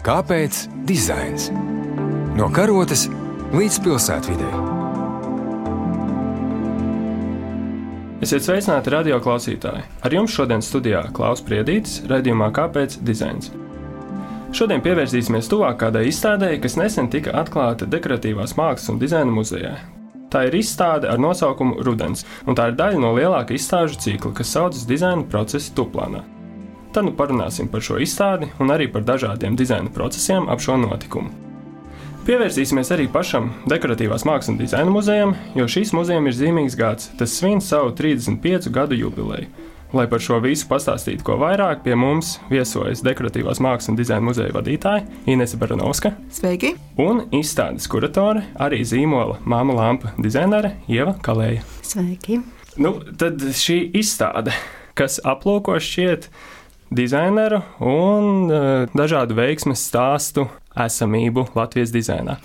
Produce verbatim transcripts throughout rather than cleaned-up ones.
Kāpēc dizains? No karotes līdz pilsētvidei. Esiet sveicināti radio klausītāji. Ar jums šodien studijā Klaus Priedītis, raidījumā Kāpēc dizains? Šodien pievērsīsimies tuvāk kādai izstādei, kas nesen tika atklāta Dekoratīvās mākslas un dizaina muzejā. Tā ir izstāde ar nosaukumu Rudens, un tā ir daļa no lielāka izstāžu cikla, kas saucas dizaina procesi Tuplānā. Tad nu parunāsim par šo izstādi un arī par dažādiem dizaina procesiem ap šo notikumu. Pievērsīsimies arī pašam Dekoratīvās mākslas un dizaina muzejam, jo šīs muzejam ir zīmīgs gads, tas svin savu trīsdesmit piecu gadu jubileju. Lai par šo visu pastāstītu ko vairāk, pie mums viesojas Dekoratīvās mākslas un dizaina muzeja vadītāja Inese Baranovska. Sveiki! Un izstādes kuratore, arī zīmola Māma lampa dizainere Ieva Kalēja. Sveiki! Nu, tad šī izstāde, kas aplūko šķiet dizaineru un uh, dažādu veiksmes stāstu esamību Latvijas dizainā.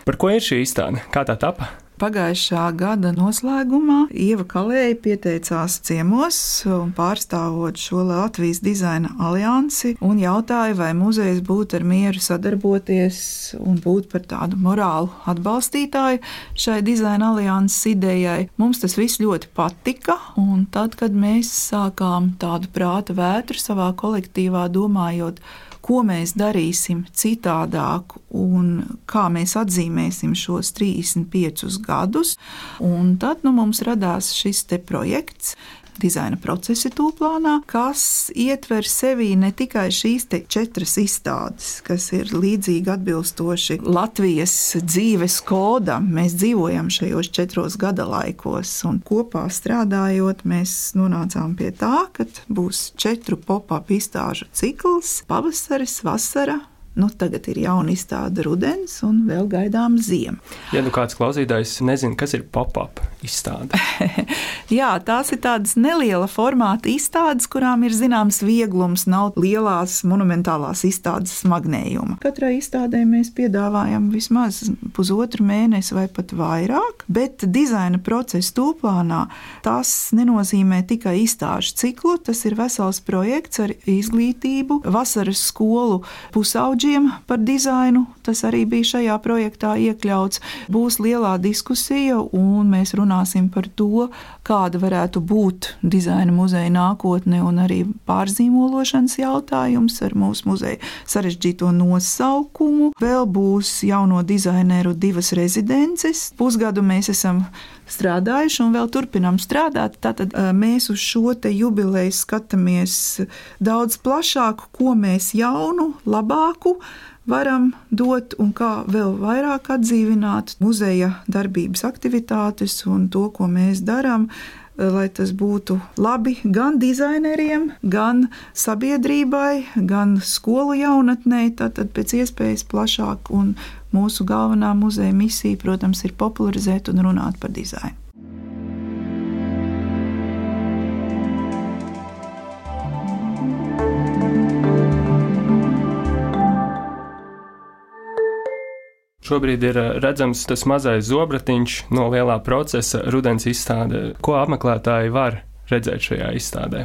Par ko ir šī izstāde? Kā tā tapa? Pagājušā gada noslēgumā Ieva Kalēja pieteicās ciemos un pārstāvot šo Latvijas dizaina aliansi un jautāja, vai muzejs būtu ar mieru sadarboties un būt par tādu morālu atbalstītāju šai dizaina alianses idejai. Mums tas viss ļoti patika, un tad, kad mēs sākām tādu prāta vētru savā kolektīvā domājot, ko mēs darīsim citādāk un kā mēs atzīmēsim šos trīsdesmit piecus gadus. Un tad nu, mums radās šis te projekts Dizaina procesi Tuplānā, kas ietver sevī ne tikai šīs te četras izstādes, kas ir līdzīgi atbilstoši Latvijas dzīves kodam. Mēs dzīvojam šajos četros gadalaikos un kopā strādājot, mēs nonācām pie tā, ka būs četru pop-up izstāžu cikls – pavasaris, vasara. Nu, tagad ir jauna izstāde Rudens un vēl gaidām ziema. Ja nu kāds klausītājs nezina, kas ir pop-up izstāde? Jā, tās ir tādas neliela formāta izstādes, kurām ir zināms vieglums, nav lielās monumentālās izstādes smagnējuma. Katrai izstādē mēs piedāvājam vismaz pusotru mēnesi vai pat vairāk, bet dizaina procesi Tuplānā tas nenozīmē tikai izstāžu ciklu, tas ir vesels projekts ar izglītību, vasaras skolu pusauģi par dizainu, tas arī bija šajā projektā iekļauts. Būs lielā diskusija un mēs runāsim par to, kāda varētu būt dizaina muzeja nākotne un arī pārzīmološanas jautājums ar mūsu muzeja sarežģīto nosaukumu. Vēl būs jauno dizaineru divas rezidences. Pusgadu mēs esam strādājuši un vēl turpinām strādāt. Tātad mēs uz šo te jubileju skatāmies daudz plašāk, ko mēs jaunu, labāku varam dot un kā vēl vairāk atdzīvināt muzeja darbības aktivitātes un to, ko mēs darām, lai tas būtu labi gan dizaineriem, gan sabiedrībai, gan skolu jaunatnei, tātad pēc iespējas plašāk. Un mūsu galvenā muzeja misija, protams, ir popularizēt un runāt par dizainu. Šobrīd ir redzams tas mazais zobratiņš no lielā procesa Rudens izstāde. Ko apmeklētāji var redzēt šajā izstādē?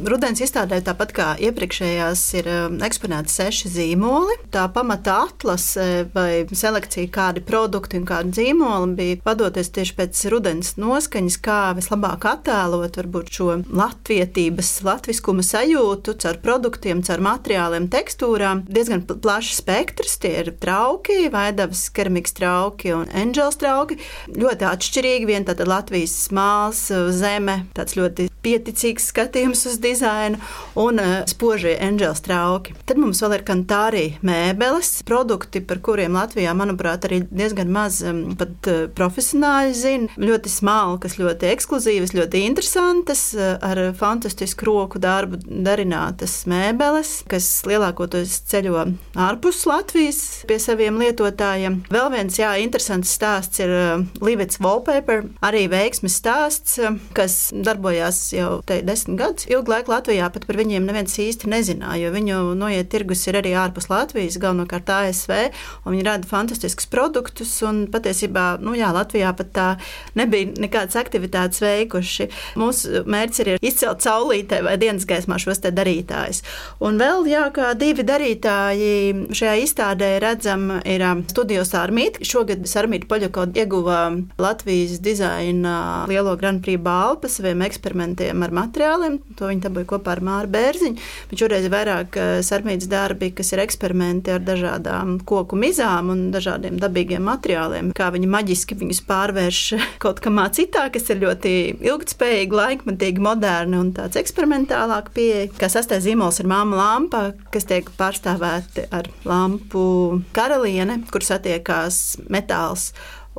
Rudens izstādē, tāpat kā iepriekšējās, ir eksponēti seši zīmoli. Tā pamata atlase vai selekcija, kādi produkti un kādi zīmoli bija vadoties tieši pēc rudens noskaņas, kā vislabāk attēlot varbūt šo latvietības, latviskuma sajūtu caur produktiem, caur materiāliem, tekstūrām. Diezgan plašs spektrs, tie ir trauki, Vaidavas keramikas trauki un Angels trauki. Ļoti atšķirīgi, vien tātad Latvijas smāls, zeme, tāds ļoti pieticīgs skatījums uz dizainu un uh, spožie Angels trauki. Tad mums vēl ir Kantāri mēbeles, produkti, par kuriem Latvijā, manuprāt, arī diezgan maz um, pat uh, profesionāļi zina. Ļoti smalkas, ļoti ekskluzīvas, ļoti interesantas, uh, ar fantastisku roku darbu darinātas mēbeles, kas lielākoties ceļo ārpus Latvijas pie saviem lietotājiem. Vēl viens, jā, interesants stāsts ir uh, Livets Wallpaper, arī veiksmes stāsts, uh, kas darbojās darbojās jau te desmit gadus. Ilgu laiku Latvijā pat par viņiem neviens īsti nezināja, jo viņu noiet tirgus ir arī ārpus Latvijas, galvenokārt A S V, un viņi rada fantastiskus produktus, un patiesībā, nu jā, Latvijā pat tā nebija nekādas aktivitātes veikuši. Mūsu mērķis ir izcelt saulītē vai dienas gaismā šos te darītājus. Un vēl, jā, kā divi darītāji šajā izstādē redzam, ir Studio Sarmīt. Šogad Sarmīta Poļako ieguva Latvijas dizaina lielo Grand Prix balvu par saviem eksperimentiem ar materiāliem. To viņi dabūja kopā ar Māru Bērziņu. Bet šoreiz ir vairāk Sarmītas darbi, kas ir eksperimenti ar dažādām koku mizām un dažādiem dabīgiem materiāliem. Kā viņi maģiski viņus pārvērš kaut kamā citā, kas ir ļoti ilgtspējīgi, laikmatīgi, moderni un tāds eksperimentālāk pieeja. Kā sastais zīmols ir Māma lampa, kas tiek pārstāvēti ar lampu karaliene, kur satiekās metāls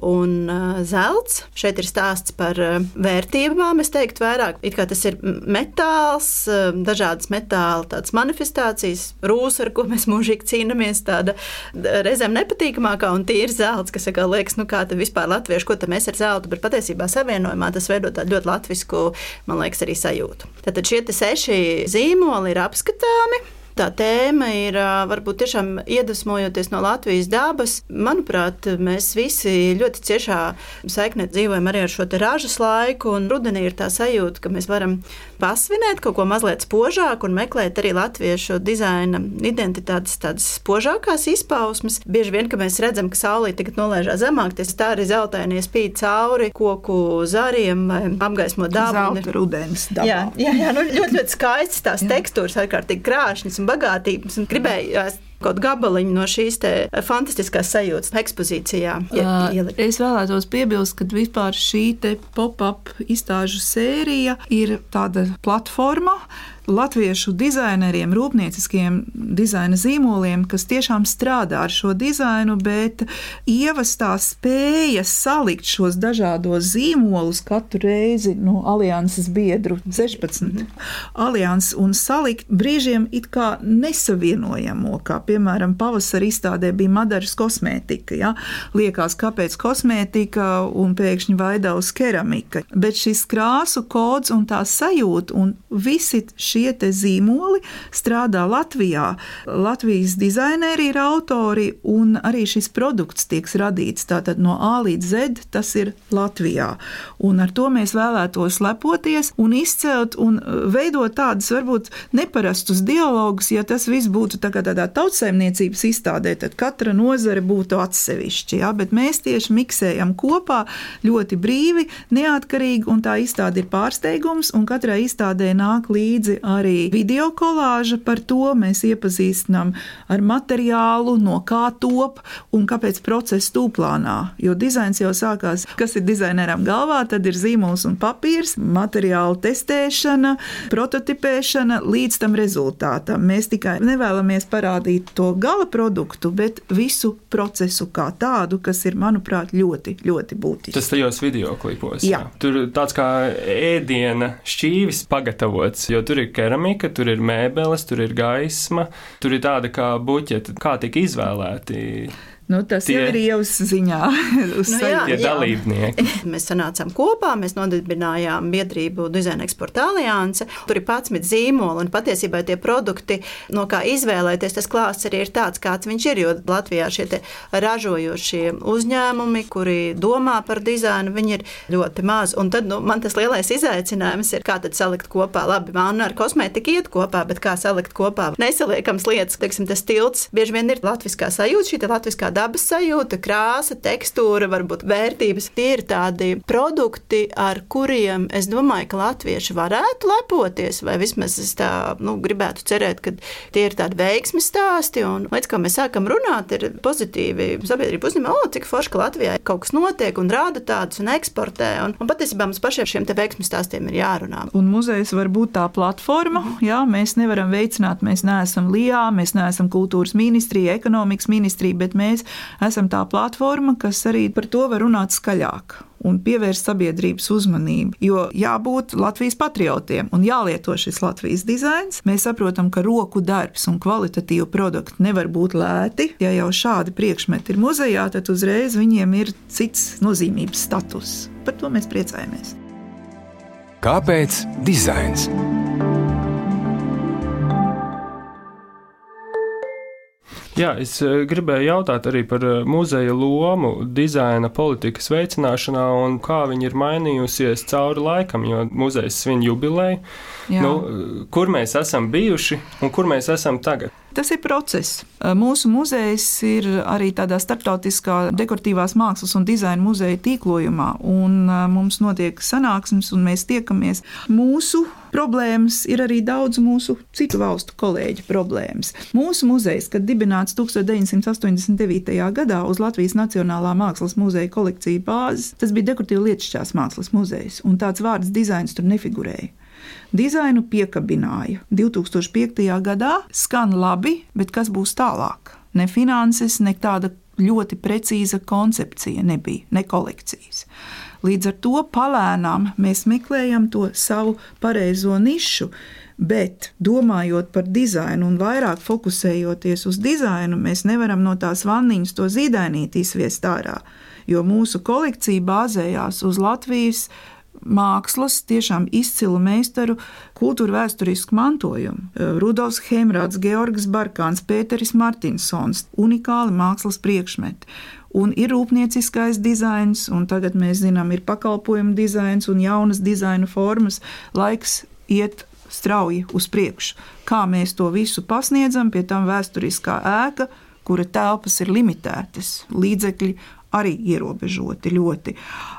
un uh, zelts. Šeit ir stāsts par uh, vērtībām, es teiktu vairāk. It kā tas ir metāls, uh, dažādas metāla tādas manifestācijas, rūsa, ar ko mēs mūžīgi cīnamies, tāda reizēm nepatīkamākā un tīra zelts, kas kā liekas, nu kā tad vispār latvieši, ko tad mēs ar zeltu, bet patiesībā savienojumā tas veido tādu ļoti latvisku, man liekas, arī sajūtu. Tātad šie te seši zīmoli ir apskatāmi. Tā tēma ir varbūt tiešām iedvesmojoties no Latvijas dabas. Manuprāt, mēs visi ļoti ciešā saiknē dzīvojam arī ar šo te ražas laiku, un rudenī ir tā sajūta, ka mēs varam pasvinēt kaut ko mazliet spožāk un meklēt arī latviešu dizaina identitātes tādas spožākās izpausmes. Bieži vien, ka mēs redzam, ka saulīte tagad nolaižā zemāk, tas tā arī zeltainie spīd cauri koku zariem vai apgaismo dabu. Zelta rudens dabā. Jā, jā, jā nu, ļoti, ļoti skaistas tās jā. Tekstūras, ārkārtīgi krāšņas un bagātības, un gribēju kaut gabaliņu no šīs te fantastiskās sajūtas ekspozīcijā ielikt. Es vēlētos piebilst, ka vispār šī te pop-up izstāžu sērija ir tāda platforma latviešu dizaineriem, rūpnieciskiem dizaina zīmoliem, kas tiešām strādā ar šo dizainu, bet Ievas tā spēja salikt šos dažādos zīmolus katru reizi no alianses biedru sešpadsmit alianses un salikt brīžiem it kā nesavienojamo, kā piemēram pavasara izstādē bija Madaras kosmētika. Ja? Liekās, kāpēc kosmētika un pēkšņi Vaidavas keramika. Bet šis krāsu kods un tā sajūta un visi šie te zīmoli strādā Latvijā. Latvijas dizaineri ir autori un arī šis produkts tiek radīts. Tātad no A līdz Z tas ir Latvijā. Un ar to mēs vēlētos lepoties un izcelt un veidot tādus varbūt neparastus dialogus. Ja tas viss būtu tā kā tādā tautsaimniecības izstādē, tad katra nozare būtu atsevišķi. Ja? Bet mēs tieši miksējam kopā ļoti brīvi, neatkarīgi, un tā izstāde ir pārsteigums, un katrai izstādē nāk līdzi arī video kolāža par to. Mēs iepazīstinām ar materiālu, no kā top un kāpēc process tūplānā. Jo dizains jau sākās, kas ir dizaineram galvā, tad ir zīmols un papīrs, materiālu testēšana, prototipēšana līdz tam rezultātam. Mēs tikai nevēlamies parādīt to gala produktu, bet visu procesu kā tādu, kas ir, manuprāt, ļoti, ļoti būtisks. Tas tajos videoklipos. Jā. Tur tāds kā ēdiena šķīvis pagatavots, jo tur ir keramika, tur ir mēbeles, tur ir gaisma, tur ir tāda kā buķeta. Kā tika izvēlēti? Nu, tas tie, jau ir Ievas ziņā. Nu, jā, tie dalībnieki. Mēs sanācām kopā, mēs nodibinājām biedrību Dizaina eksporta alianse. Tur ir padsmit zīmoli un patiesībā tie produkti, no kā izvēlēties, tas klāsts arī ir tāds, kāds viņš ir, jo Latvijā šie te ražojošie uzņēmumi, kuri domā par dizainu, viņi ir ļoti maz. Un tad, nu, man tas lielais izaicinājums ir, kā tad salikt kopā. Labi, man ar kosmētiku iet kopā, bet kā salikt kopā nesaliekams lietas, teiksim, tas tilts. Bieži vien ir latviskā sajūta, šī te latviskā dabas sajūta, krāsa, tekstūra, varbūt vērtības. Tie ir tādi produkti, ar kuriem es domāju, ka latvieši varētu lepoties, vai vismaz es tā, nu, gribētu cerēt, ka tie ir tādi veiksmes stāsti, un līdz kā mēs sākam runāt, ir pozitīvi sabiedrība uzņem, o, cik forši, ka Latvijā kaut kas notiek un rāda tādus un eksportē, un, un patiesībā mums pašiem šiem te veiksmes stāstiem ir jārunā. Un muzejs var būt tā platforma, jā, mēs nevaram veicināt, mēs neesam Lijā, mēs neesam kultūras ministrija, ekonomikas ministrija, bet mēs esam tā platforma, kas arī par to var runāt skaļāk un pievērst sabiedrības uzmanību. Jo jābūt Latvijas patriotiem un jālieto šis Latvijas dizains. Mēs saprotam, ka roku darbs un kvalitatīvu produktu nevar būt lēti. Ja jau šādi priekšmeti ir muzejā, tad uzreiz viņiem ir cits nozīmības status. Par to mēs priecājamies. Kāpēc dizains? Jā, es gribēju jautāt arī par muzeja lomu dizaina politikas veicināšanā un kā viņa ir mainījusies cauri laikam, jo muzejs svin jubileju. Nu, kur mēs esam bijuši un kur mēs esam tagad? Tas ir process. Mūsu muzejs ir arī tādā starptautiskā dekoratīvās mākslas un dizaina muzeja tīklojumā, un mums notiek sanāksmes, un mēs tiekamies. Mūsu problēmas ir arī daudz mūsu citu valstu kolēģu problēmas. Mūsu muzejs, kad dibināts deviņdesmit astoņdesmit devītajā gadā uz Latvijas Nacionālā mākslas muzeja kolekciju bāzes, tas bija dekoratīva lietišķās mākslas muzejs, un tāds vārds dizains tur nefigurēja. Dizainu piekabināja divi tūkstoši piektajā gadā, skan labi, bet kas būs tālāk? Ne finanses, ne tāda ļoti precīza koncepcija nebija, ne kolekcijas. Līdz ar to palēnām mēs meklējam to savu pareizo nišu, bet domājot par dizainu un vairāk fokusējoties uz dizainu, mēs nevaram no tās vanniņas to zīdainīti izviest ārā, jo mūsu kolekcija bāzējās uz Latvijas mākslas, tiešām izcilu meistaru kultūra vēsturisku mantojumu. Rudolfs Hemrāds, Georgs Barkāns, Pēteris Martinsons, unikāli mākslas priekšmeti. Un ir rūpnieciskais dizains, un tagad mēs zinām, ir pakalpojumu dizains un jaunas dizaina formas. Laiks iet strauji uz priekšu. Kā mēs to visu pasniedzam, pie tam vēsturiskā ēka, kura telpas ir limitētas, līdzekļi arī ierobežoti ļoti.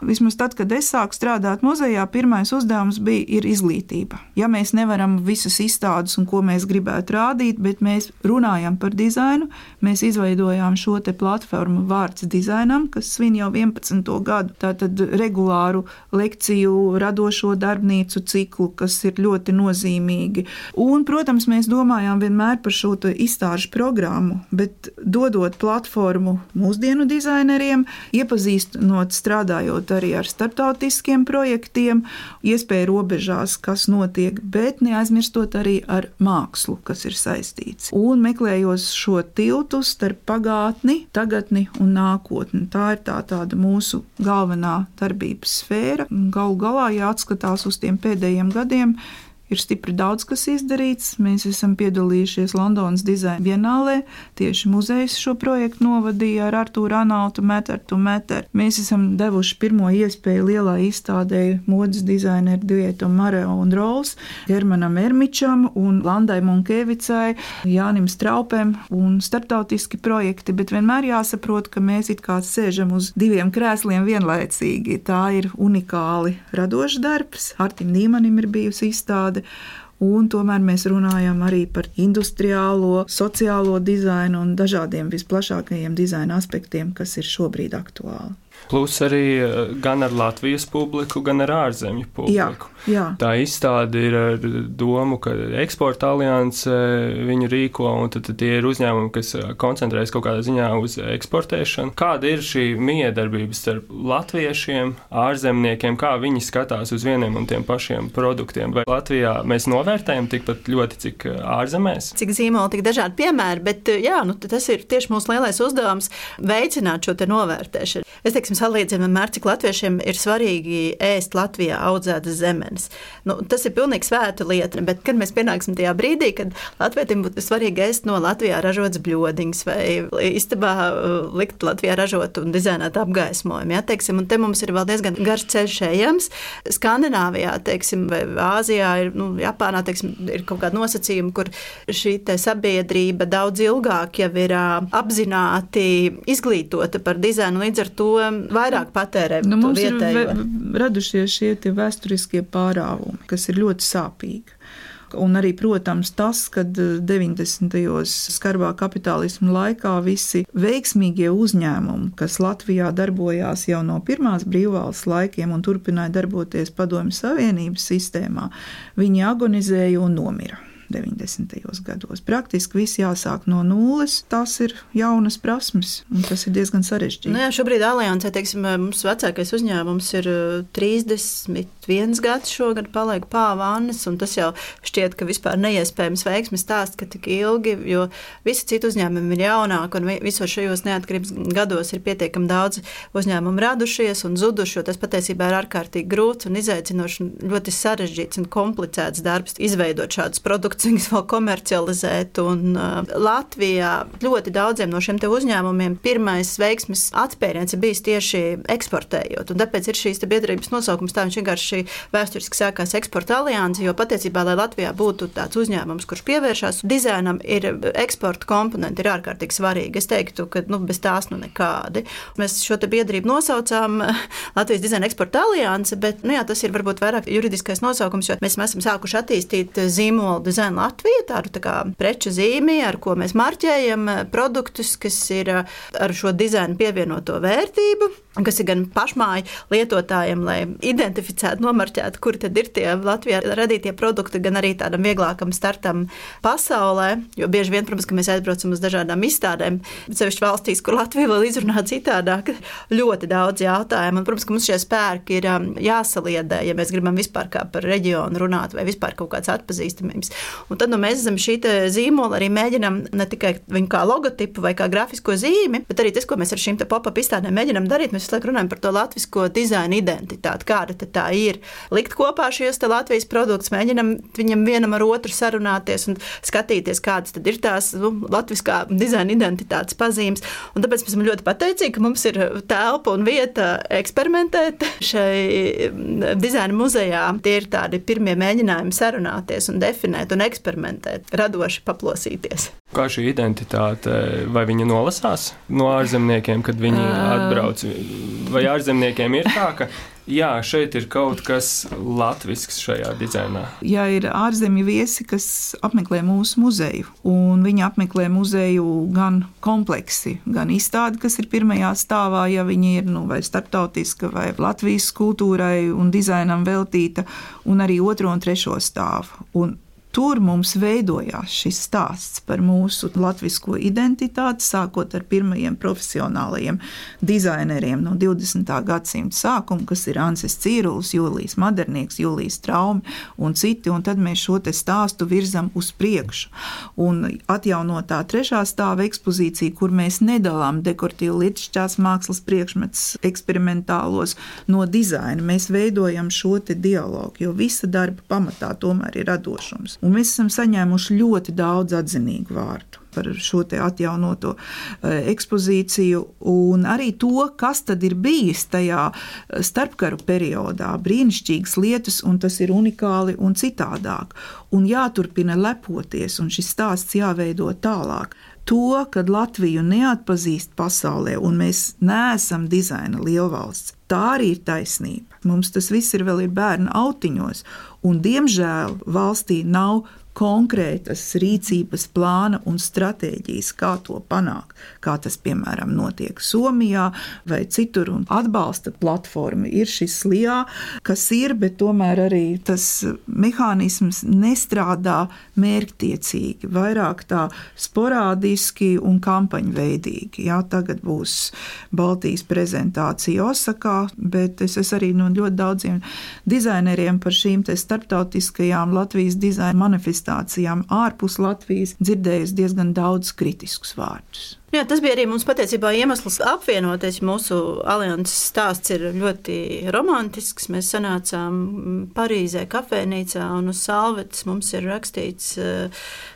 Vismaz tad, kad es sāku strādāt muzejā, pirmais uzdevums bija ir izglītība. Ja mēs nevaram visas izstādes un ko mēs gribētu rādīt, bet mēs runājam par dizainu, mēs izveidojām šo te platformu Vārds dizainam, kas svin jau vienpadsmito gadu. Tātad regulāru lekciju, radošo darbnīcu ciklu, kas ir ļoti nozīmīgi. Un, protams, mēs domājām vienmēr par šo izstāžu programmu, bet dodot platformu mūsdienu dizaineriem, iepazīstinot, strādājot arī ar starptautiskiem projektiem, iespēja robežās, kas notiek, bet neaizmirstot arī ar mākslu, kas ir saistīts. Un meklējot šo tiltu starp pagātni, tagadni un nākotni. Tā ir tā tāda mūsu galvenā darbības sfēra. Galu galā, ja atskatās uz tiem pēdējiem gadiem, ir stipri daudz, kas izdarīts. Mēs esam piedalījušies Londonas dizaina bienālē. Tieši muzejs šo projektu novadīja ar Artūru Anautu, Matter to Matter. Mēs esam devuši pirmo iespēju lielā izstādē modes dizaineru duetam Mareo un Rolls, Hermanam Ermičam un Landai Munkevicai, Jānim Straupem un starptautiski projekti, bet vienmēr jāsaprot, ka mēs it kā sēžam uz diviem krēsliem vienlaicīgi. Tā ir unikāli radošs darbs. Artim Nīmanim ir bijusi izstāde. Un tomēr mēs runājam arī par industriālo, sociālo dizainu un dažādiem visplašākajiem dizaina aspektiem, kas ir šobrīd aktuāli. Plus arī gan ar Latvijas publiku, gan ar ārzemju publiku. Jā, jā. Tā izstāde ir ar domu, ka eksporta alianse viņu rīko, un tad, tad tie ir uzņēmumi, kas koncentrējas kaut kādā ziņā uz eksportēšanu. Kāda ir šī miedarbība starp latviešiem, ārzemniekiem, kā viņi skatās uz vieniem un tiem pašiem produktiem? Vai Latvijā mēs novērtējam tikpat ļoti, cik ārzemēs? Cik zīmoli, tik dažādi piemēri, bet jā, nu, tas ir tieši mūsu lielais uzdevums veicināt šo te novērtēšanu. Es teiksim, salīdzinu vienmēr, cik latviešiem ir svarīgi ēst Latvijā audzētas zemenes. Nu, tas ir pilnīgi svēta lieta, bet kad mēs pienāksim tajā brīdī, kad latvietim būtu svarīgi ēst no Latvijā ražotas bļodiņas vai istabā likt Latvijā ražot un dizainēt apgaismojumu, ja, teiksim, un te mums ir vēl diezgan garš ceļš ejams. Skandināvijā, teiksim, vai Āzijā, ir, nu, Japānā, teiksim, ir kaut kāda nosacījuma, kur šī te sabiedrība daudz ilgāk jau ir apzināti izglītota par dizainu, līdz ar to vairāk patērē nu, to mums vietējo. Ir radušies šie tie vēsturiskie pārāvumi, kas ir ļoti sāpīgi. Un arī, protams, tas, kad deviņdesmitajos skarbā kapitālisma laikā visi veiksmīgie uzņēmumi, kas Latvijā darbojās jau no pirmās brīvvalsts laikiem un turpināja darboties Padomju Savienības sistēmā, viņi agonizēja un nomira. deviņdesmitajos gados. Praktiski viss jāsāk no nulles, tas ir jaunas prasmes, un tas ir diezgan sarežģīti. Nu jā, šobrīd Aliansē, teiksim, mums vecākais uzņēmums ir trīsdesmit viens gads šogad paliek pāvānis, un tas jau šķiet, ka vispār neiespējams veiksmes stāsts, ka tik ilgi, jo visi citi uzņēmumi ir jaunāki, un visos šajos neatkarības gados ir pietiekami daudz uzņēmumu radušies un zuduši, jo tas patiesībā ir ārkārtīgi grūts un izaicinošs un ļoti sarežģīts un komplicēts darbs izveidot šādus produktus, viņus vēl komercializēt. Un uh, Latvijā ļoti daudziem no šiem te uzņēmumiem pirmais veiksmes atspēriens ir bijis tieši eksportējot. Un tāpēc ir šīs te biedrības nosaukums, tā viņš vienkārši vēsturiski sākās Eksporta alianse, jo patiesībā, lai Latvijā būtu tāds uzņēmums, kurš pievēršās dizainam, ir eksporta komponenti ir ārkārtīgi svarīgi. Es teiktu, ka nu, bez tās nu nekādi. Mēs šo te biedrību nosaucām Latvijas dizaina Eksporta alianse, bet nu jā, tas ir varbūt vairāk juridiskais nosaukums, jo mēs esam sākuši attīstīt zīmolu dizaina Latvija, tādu tā kā preču zīmi, ar ko mēs marķējam produktus, kas ir ar šo dizainu pievienoto vērtību, kas ir gan pašmāju lietotājiem, lai identificētu, nomarķētu, kuri tad ir tie Latvijā radītie produkti, gan arī tādam vieglākam startam pasaulē, jo bieži vien, protams, ka mēs aizbraucam uz dažādām izstādēm, sevišķi valstīs, kur Latvija vēl izrunā citādāk, ļoti daudz jautājumu, un, protams, ka mums šie spēki ir jāsaliedē, ja mēs gribam vispār kā par reģionu runāt vai vispār kaut kāds atpazīstamības. Un tad nu, mēs zem šī zīmola arī mēģinam ne tikai viņu kā logotipu vai kā grafisko zīmi, bet arī tas, ko mēs ar šīm pop-up izstādēm mēģinam darīt, mēs visu laiku runājam par to latvisko dizaina identitāti, kāda tā ir. Likt kopā šos te Latvijas produktus, mēģinam viņam vienam ar otru sarunāties un skatīties, kādas tad ir tās nu, latviskā dizaina identitātes pazīmes. Un tāpēc mēs esam ļoti pateicīgi, ka mums ir telpa un vieta eksperimentēt šai dizaina muzejā. Tie ir tādi pirmie mēģinājumi sarunāties un definēt un eksperimentēt, radoši paplosīties. Kā šī identitāte, vai viņa nolasās no ārzemniekiem, kad viņi atbrauc? Vai ārzemniekiem ir tā, ka jā, šeit ir kaut kas latvisks šajā dizainā? Ja ir ārzemju viesi, kas apmeklē mūsu muzeju, un viņi apmeklē muzeju gan kompleksi, gan izstādi, kas ir pirmajā stāvā, ja viņi ir nu, vai starptautiska, vai Latvijas kultūrai un dizainam veltīta, un arī otro un trešo stāvu. Un tur mums veidojās šis stāsts par mūsu latvisko identitāti, sākot ar pirmajiem profesionālajiem dizaineriem no divdesmitā gadsimta sākuma, kas ir Anses Cīrulis, Jūlijs Madernieks, Jūlijs Traumi un citi, un tad mēs šo te stāstu virzam uz priekšu. Un atjaunotā trešā stāva ekspozīcija, kur mēs nedalām dekoratīvu lietišķās mākslas priekšmets eksperimentālos no dizaina, mēs veidojam šo te dialogu, jo visa darba pamatā tomēr ir radošums. Un mēs esam saņēmuši ļoti daudz atzinīgu vārdu par šo te atjaunoto ekspozīciju un arī to, kas tad ir bijis tajā starpkaru periodā. Brīnišķīgas lietas, un tas ir unikāli un citādāk. Un jāturpina lepoties, un šis stāsts jāveido tālāk. To, kad Latviju neatpazīst pasaulē, un mēs neesam dizaina lielvalsts, tā arī ir taisnība. Mums tas viss ir vēl ir bērnu autiņos, un diemžēl valstī nav konkrētas rīcības plāna un stratēģijas, kā to panākt, kā tas, piemēram, notiek Somijā vai citur, un atbalsta platforma ir šis L I A, kas ir, bet tomēr arī tas mehānisms nestrādā mērķtiecīgi, vairāk tā sporādiski un kampaņveidīgi. Jā, tagad būs Baltijas prezentācija Osakā, bet es esmu arī no ļoti daudziem dizaineriem par šīm te starptautiskajām Latvijas dizaina manifestācijām ārpus Latvijas dzirdējusi diezgan daudz kritiskus vārdus. Jā, tas bija arī mums patiesībā iemesls apvienoties. Mūsu alianses stāsts ir ļoti romantisks. Mēs sanācām Parīzē kafejnīcā un uz salvetes mums ir rakstīts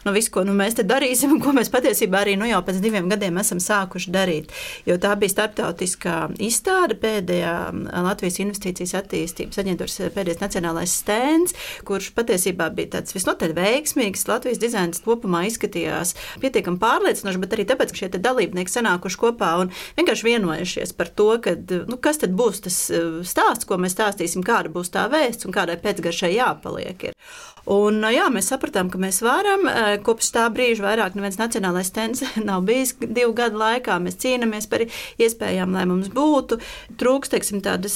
no visu, ko nu, mēs te darīsim un ko mēs patiesībā arī nu, jau pēc diviem gadiem esam sākuši darīt. Jo tā bija starptautiskā izstāde, pēdējā Latvijas investīcijas attīstības aģentūras pēdējais nacionālais stends, kurš patiesībā bija tāds visnotaļ veiksmīgs. Latvijas dizains kopumā izskatījās pietiekami pārliecinoši, bet arī tāpēc, ka šie dalībnieki sanākuši kopā un vienkārši vienojušies par to, kad, nu, kas tad būs tas stāsts, ko mēs stāstīsim, kāda būs tā vēsts un kādai pēcgaršai jāpaliek ir. Un, jā, mēs sapratām, ka mēs varam. Kopš tā brīža vairāk neviens nacionālais stends nav bijis divu gadu laikā. Mēs cīnāmies par iespējām, lai mums būtu. Trūks, teiksim, tādas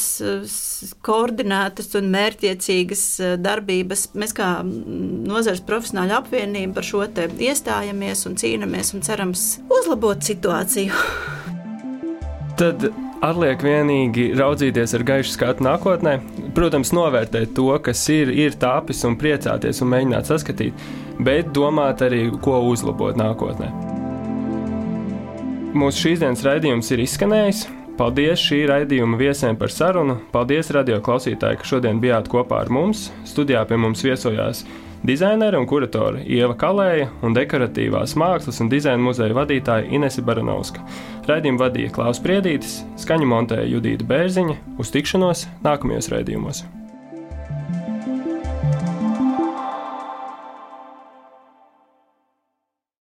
koordinētas un mērķiecīgas darbības. Mēs kā nozares profesionāļu apvienība par šo te iestājamies un cīnāmies un cerams uzlabot situāciju. Tad atliek vienīgi raudzīties ar gaišu skatu nākotnē, protams, novērtēt to, kas ir, ir tāpis un priecāties un mēģināt saskatīt, bet domāt arī, ko uzlabot nākotnē. Mūsu šīs dienas raidījums ir izskanējis. Paldies šī raidījuma viesiem par sarunu. Paldies radio klausītāji, ka šodien bijāt kopā ar mums. Studijā pie mums viesojās dizainere un kuratore Ieva Kalēja un dekoratīvās mākslas un dizaina muzeja vadītāja Inese Baranovska. Raidījumu vadīja Klaus Priedītis, skaņu montēja Judīta Bērziņa. Uz tikšanos nākamajos raidījumos.